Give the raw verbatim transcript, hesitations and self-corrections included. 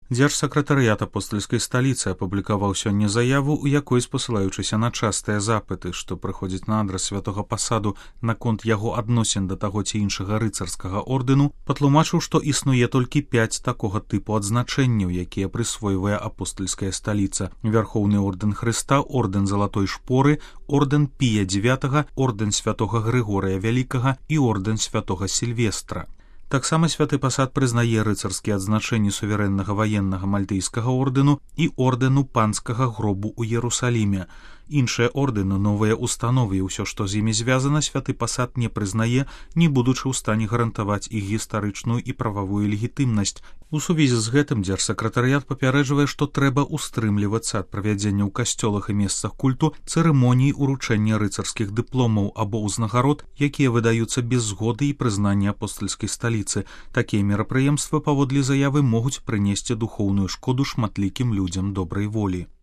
Дзяржсакратарыят апостальскай сталіцы апублікаваў сёння заяву, у якой, спасылаючыся на частыя запыты, што прыходзяць на адрас святога пасаду наконт яго адносін да таго ці іншага рыцарскага ордэну, патлумачыў, што існуе толькі пяць такога тыпу адзначэнняў, якія прысвойвае апостальская сталіца: Вярхоўны ордэн Хрыста, ордэн Залатой шпоры, ордэн Пія дзевятага, ордэн святога Грыгорыя Вялікага і ордэн святога Сільвестра. Таксама святы пасад прызнае рыцарскія адзначэнні суверэннага ваеннага мальтыйскага ордэну і ордэну панскага гробу ў Ерусаліме. Іншыя ордэны, новыя установы і ўсё, што з імі звязана, святы пасад не прызнае, не будучы ў стане гарантаваць іх гістарычную і прававую легітымнасць. У сувязі з гэтым дзяржсакратарыят папярэджвае, што трэба устрымлівацца ад правядзення ў касцёлах і месцах культу цырымоніі ўручэння рыцарскіх дыпломаў або ўзнагарод, якія выдаюцца без згоды і прызнання апостальскай сталіцы. Такія мерапрыемствы, паводле заявы, могуць прынесці духоўную шкоду шматлікім людзям добрай волі.